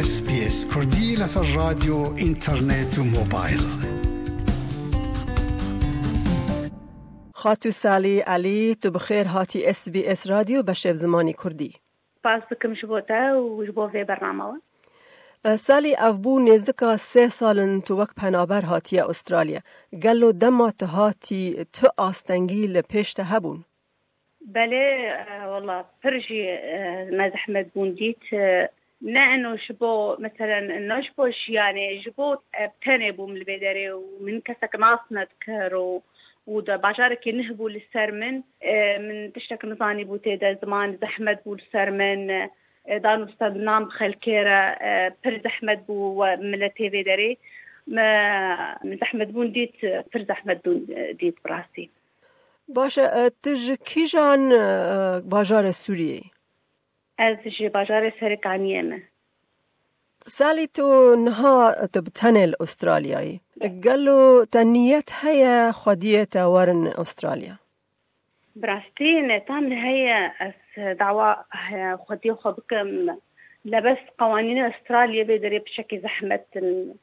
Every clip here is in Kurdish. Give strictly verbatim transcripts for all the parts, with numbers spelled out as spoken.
S B S Kurdî li ser radyo, înternet û mobil. Xatû Salî Elî, tu bi xêr hatî S B S Radyo beşê bi zimanî Kurdî. Spas dikim ji bo te û ji bo vê bername we. E, Salî, ev bû nêzika sê sal in tu wek penaber hatiye Australya. Gelo dema tu hatî tu astengî li pêş te hebûn? Belê, e, wela pir jî, e, me zehmet bûn dît. E, ne eno ji bo, meselen, ne ji bo jiyanê, ji bo, e, tenê bûm li vê derê û min kesek nas nedikir û, û de bajarekî nih bû li ser min. E, min tiştek nizanî bû tê de, ziman zehmet bû li ser min. E, dan û stendina bi xelkê re, e, pir zehmet bû we miletê vê derê. Me, min zehmet bûn dît, pir zehmet bûn, e, dît bi rastî. Baş e, e, tu ji kîjan, e, bajarê Sûriyê yî? Ez ji bajarê Serêkaniyê me. Salî, tu niha tu bi tenê li Australyayê. Gelo te niyet heye xwediyê te werin Australya? Bi rastî netam li heye ez dawa, e, xwediyê xwe bikim. Lebes qewanînê Australyayê vê derê piçekî zehmet in.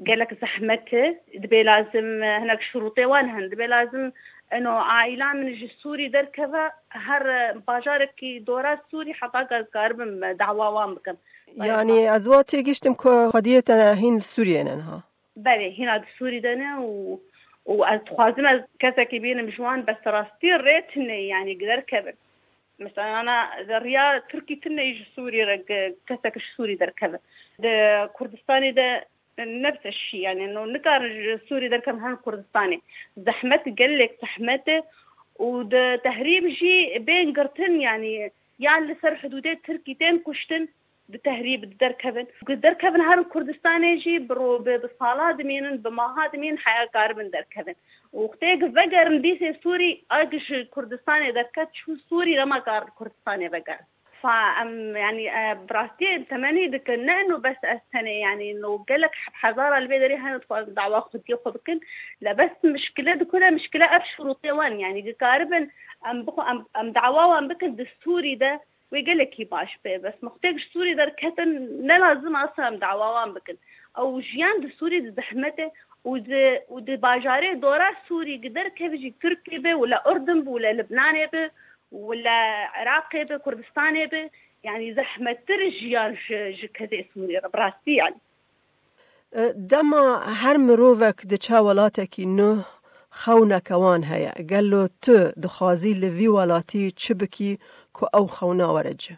Gelek zehmet e. Dibê lazim, e, hinek şurûtê wan hene. Dibê lazim eno aîla min ji Sûrî derkeve, her, e, bajarekî dora Sûrî heta ez karibim, e, dawa wan bikim. Yanî ez wa têgihiştim ku xwediyê te hîn li Sûriyê ne niha. Belê, hîna di Sûrî de ne û, û ez dixwazim ez kesekî bînim ji wan, bes rastî rê tune, yanî derkevin. Mesela, ana, riya Tirkî tune jî ji Sûrî re, ge-, kesek ji Sûrî derkeve. Di Kurdistanê de nefse şî, yani, no, nikarin ji Sûrî derkevin herin Kurdistanê. Zehmet, gelek zehmet e û di tehrîb jî bên girtin, yani, yan li ser hidûdê Tirkî tên kuştin, di tehrîb di derkevin. Ku derkevin herin Kurdistanê jî bi ro-, bi, bi sala dimînin, bi maha dimînin heya karibin derkevin. Û wextê ku vegerin dîsê Sûrî, a ku ji Kurdistanê derket, çû Sûrî, nema karin Kurdistanê vegerin. Fa em, yani, e, bi rastî temenî dikin, ne eno bes ez tenê, yani, no gelek heb-, hezara li vê derê hene dixwazin dawa xwediyê xwe bikin. Le bes mişkile dikune, mişkile ev şurûtê wan, yani, dikaribin em bixwe-, em, em dawa wan bikin di Sûrî de, wê gelekî baş be. Bes mextêk ji Sûrî derketin, ne lazim asa em dawa wan bikin. Ew jiyan di Sûrî di zehmet e û di, û di bajarê dora Sûrî gi derkevî jî Tirkî be û le Urdun be û le Libnanê be û le Iraqê be, Kurdistanê be, yani zehmettir jiyan ji, ji kesê Sûrî re, bi rastî yani. E, dema her mirovek diçe welatekî nuh, xewneke wan heye. Gelo tu dixwazî li vî welatî çi bikî ku ew xewna were cih?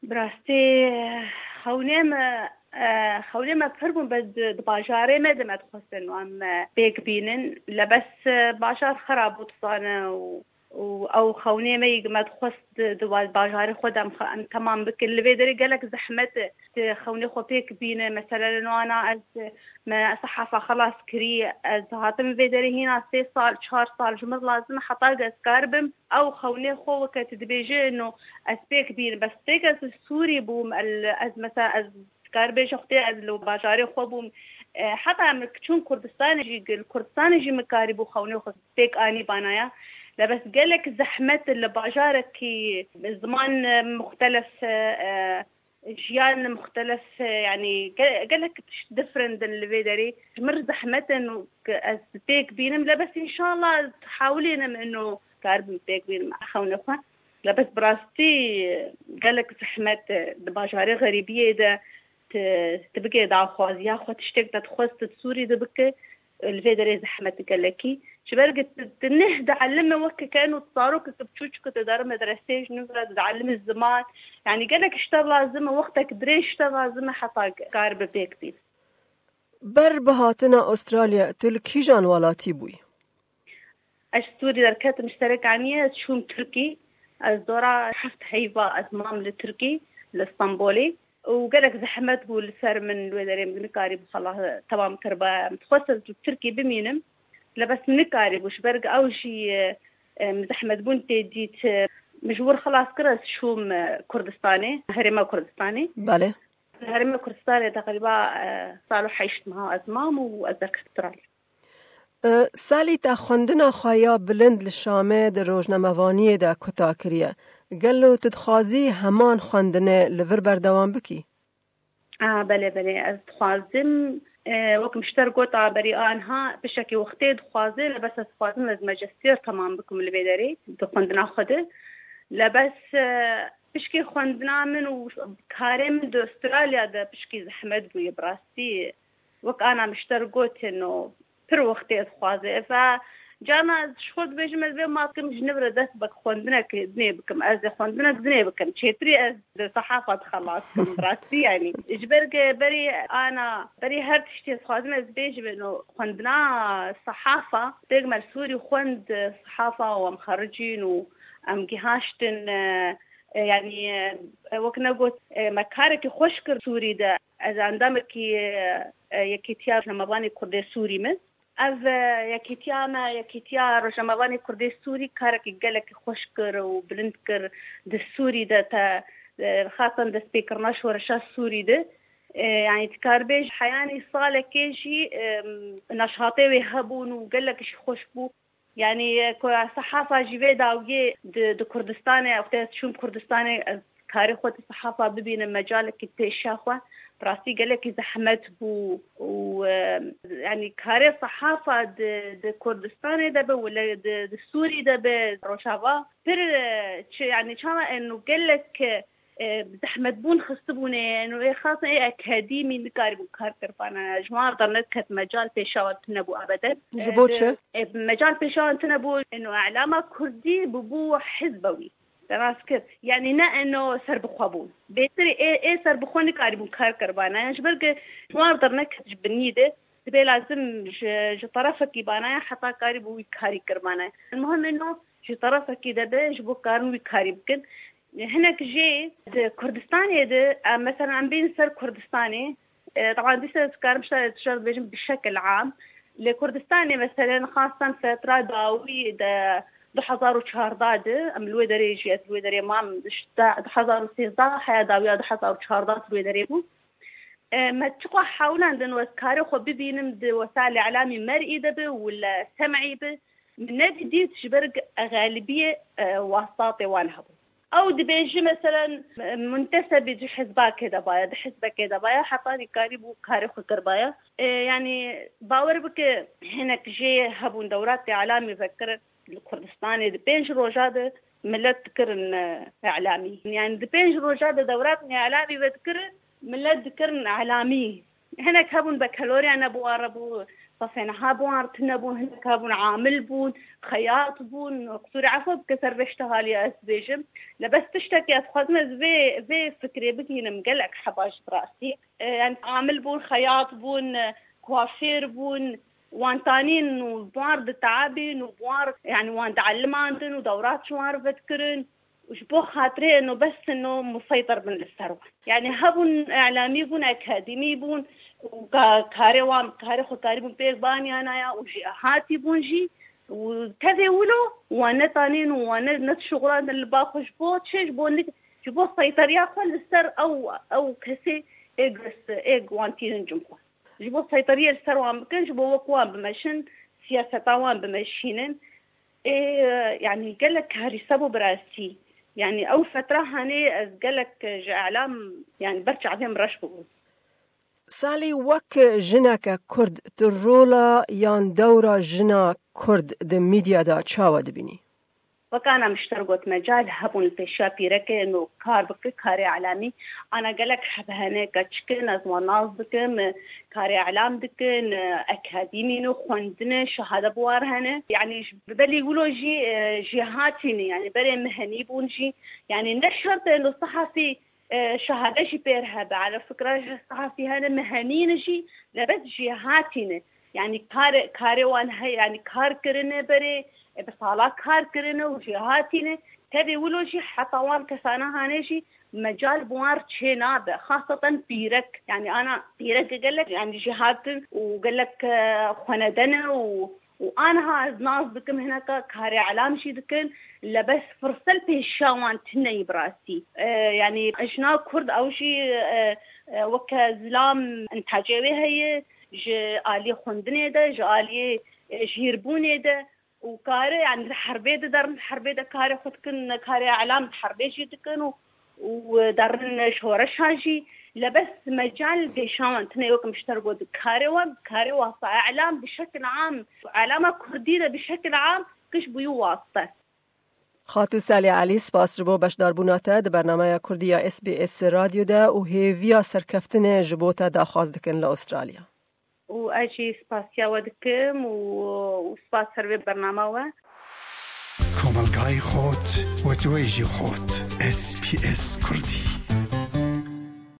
Bi rastî, xewnê me, e, xewnê me pir bûn, bes di, di bajarê me de me dixwestin wan me pêk bînin. Le bes, e, bajar xerab bû, tu zane, û û ew xewnê me yî me dixwest di, di wa-, bajarê xwe de em xe-, em temam bikin. Li vê derê gelek zehmet e, tu xewnê xwe pêk bîne. Mesela li wana ez, me sehafa xelas kirî, ez hatim vê derê hîna sê sal, çar sal ji min lazim e heta ku ez karibim ew xewnê xwe weke tu dibêje no ez pêk bînim. Bes tê ku ez li Sûrî bûm, el-, ez mesela ez Dikar bêje xwedê ez li bajarê xwe bûm. E, heta min çûn Kurdistanê jî, li Kurdistanê jî min karîbû xewnê xwe pêk anî banaya. Le bes gelek zehmet li bajarekî ziman, e, muxtelef, e, e, jiyan muxtelef, e, yani ge-, gelek tişt different in li vê derê. Ji min re zehmet in û ez pêk bînim. Le bes înşallah hewlênim ino karibim pêk bînim xewnê xwe. Le bes bi rastî gelek zehmet e, di bajarê xerîbiyê de tu, tu bike daxwaziya xwe, tiştek te dixwest tu di Sûrî de bike, li vê derê zehmet gelekî. Ji ber ku tu, tu neh dielime weke ke eno zarokeke biçûçik ku tu dere medresê ji nû re dielime ziman. Yani gelek ji te lazim e, wextek dirêj ji te lazim e heta karibe pêk bî. Ber bi hatina Australya, tu li kîjan welatî bûyî? Ez ji Sûrî derketim, ji Serêkaniyê ez çûm Tirkî. Ez dora heft heyva ez mam li Tirkî, li Stenbolê. Û gelek zehmet bû li ser min, li wê derê min nikarîbû xelas temam kiriba. Em dixwest ez li Tirkî bimînim. Le bes min nikarîbû, ji ber ew jî, e, em zehmet bûn tê dît, e, min ji wir xelas kir, ez çûm, e, Kurdistanê, herêma Kurdistanê. Belê. Li herêma Kurdistanê teqrîba, e, sal û heşt meha ez mam û ez derketim Australya. E, Salî, te xwendina xwe ya bilind li Şamê di rojnamevaniyê de kuta kiriye. Gelo tu dixwazî heman xwendinê li vir berdewam bikî? A, belê, belê, ez dixwazim, e, wek mişter got, a, berî anha pişekî wextê dixwaze, lê bes ez dixwazim ez majestêr temam bikim li vê derê, di xwendina xwe de. Lê bes, e, pişkî xwendina min û karê min di Australya de pişkî zehmet bûye, bi rastî. Wek ana mişter gotin û pir wextê dixwaze. Eva, carna ez ji xwe dibêjim, ez vê ma dikim, ji nivre dest bek xwendinek dinê bikim. Ez ê xwendinek dinê bikim. Çêtirî ez di sehafa dixelas bikim, rastî yanî. Ji ber ke berî ana, berî her tiştê dixwazim ez bêjim, ino xwendina sehafa, pêk me li Sûrî xwend sehafa û em xericîn û em gihaştin, e, e, yanî, e, wek ne got, e, me karekî xweş kir Sûrî de. Ez endamekî, e, e, Yekîtiya Rojnamevanê Kurdê Sûrî me. Ev, e, yekîtiya me, Yekîtiya Rojnamevanê Kurdê Sûrî karekî gelekî xweş kir û bilind kir di Sûrî de te, e, xasan destpêkirina şoreşa Sûrî de. E, yanî dikaribêj heyanî salekê jî, e, neşatê wê hebûn û gelekî jî xweş bû. Yanî, e, ku sehafa jî vê dawiyê di, di Kurdistanê, wextê ez çûm Kurdistanê, ez karê xwe di sehafa bibînim, mecalekî pêşa xwe, bi rastî gelekî zehmet bû û, e, yanî karê sehafa di, di Kurdistanê de be, wele di, di Sûrî de be, Rojava, pir, e, çi, yanî çawa eno gelek, e, e, zehmetbûn xistibûne, eno ê xasan ê akademî nikaribûn kar kiribana. Ji wan re nediket mecal pêşa wan tune bû ebeden. Ji bo çi? E, mecal pêşa wan tune bû, eno elama kurdî bûbû hizbewî. Te rast kir. Yanî ne eno serbixwe bûn. Bêtir ê, ê serbixwe nikaribûn kar kiribana. Ji ber ke ji wan re neket ji binî de, dibê lazim ji, ji terefekî banaya heta karî bû wî karî kiribana. Muhim eno ji terefekî de be, ji bo karin wî karî bikin. Hinek jê di Kurdistanê de, em, mesela em bên ser Kurdistanê, e, taban dîsa ez karim şa-, şer dibêjim bi şekil am. Li Kurdistanê, mesela, xasan fetra dawî de du hezar û çardeh de, em li wê derê jî, ez li wê derê mam, işte, du hezar û sêzdeh heya dawiya du hezar û çardeh li wê derê bû. E, me çiqas hewlandin ez karê xwe bibînim di wesailê îlamî mer'î de bi û li sem'î bi, min nedî dît ji ber xelibiyê, e, wastatê wan hebû. Ew dibêje, meselen, muntesebî di hizbakê de baye, di hizbekê de baye, heta nikarî bû karê xwe kiribaye. E, yanî bawer bike, hinek jê hebûn dewratê îlamî vekirin li Kurdistanê di pênc roja de milet dikirin, e, îlamî. Yanî di pênc roja de dewratê îlamî vedikirin, milet dikirin îlamî. Hinek hebûn bekeloriya ne bi wan re bû, sefê niha bi wan re tune bûn, hinek hebûn amil bûn, xeyat bûn, qisûrê efwe bike ser vê tiştê haliya ez dibêjim. Lê bes tiştekî ez dixwazim ez vê, vê fikrê bigihînim gelek heba ji bi rastî. E, yanî amil bûn, xeyat bûn, e, kuafêr bûn, wan tanîn û bi wan re diteabîn û bi wan re, yanî wan diellimandin û dewrat ji wan re vedikirin. Û ji bo xatirê eno bes eno museytir bin li ser wan. Yanî hebûn îlamî bûn, akademî bûn û ka-, karê wan, karê xwe karîbûn pêk banyanaya û jêhatî bûn jî û tevê wilo wan netanîn û wan ne, nedişuxulandin li ba xwe ji bo çi, ji bo nik-, ji bo seyteriya xwe li ser ew, ew kesê êk dest, êk wan tînin cem xwe. Ji bo seyteriyê li ser wan bikin, ji bo wek wan bimeşin, siyaseta wan bimeşînin. Ê, yanî gelek karîse bû bi rastî. Yanî ew fetra hanê ez gelek ji îlam, yanî ber çavê min reş bûbû. Salî, wek jineke Kurd, tu rola yan dewra jina Kurd di medya de çawa dibînî? Wek ana mişter got, mecal hebûn li pêşiya pîrekê eno kar bike, karê îlamî. Ana gelek heb hene, keçik in, ez wan nas dikim, karê îlam dikin, akademî ne, xwendine, şehade bi wan re hene. Yanî ji, belê wilo jî, e, jêhatî ne, yanî berê min henî bûn jî. Yanî ne şert e eno sehafî, e, şehade jî pêr hebe. Ala fikra ji sehafî hene min henî ne jî, lê bes jêhatî ne. Yanî kar-, karê wan heye, yanî kar kirine berê, e, bi sala kar kirine û jêhatî ne. Tevî wilo jî heta wan kesana hanê jî mecal bi wan re çê nabe. Xaseten pîrek, yanî ana pîrek gelek, yanî jêhatin û gelek, e, xwenede ne û, û aniha ez nas dikim hineka karê îlam jî dikin, lê bes firset pêşiya wan tune ye bi rastî. E, yanî jina Kurd ew jî, e, e, weke zilam intacê wê heye, ji aliyê xwendinê de, ji aliyê, e, jêrbûnê de û kare, yanî di herbê de derin, di herbê de karê xwe dikin, karê îlam di herbê jî dikin û, û darin şoreşa jî. Lebes mecal gêşawan tine yok mişter got karê we, karê wasa e'lam bi şekil am, e'lama kurdî de bi şekil am kiş bûyî waste. Xatû Salih Elî, spas ji bo beşdarbûna te di bernameya Kurdî ya S B S Radyo de û hêviya serkeftinê ji bo te daxwaz dikin li Australya. Û ez jî spasiya we dikim û, û spas ser vê bernama we. Komelgayê xot, wetwêjî xot. S B S Kurdî.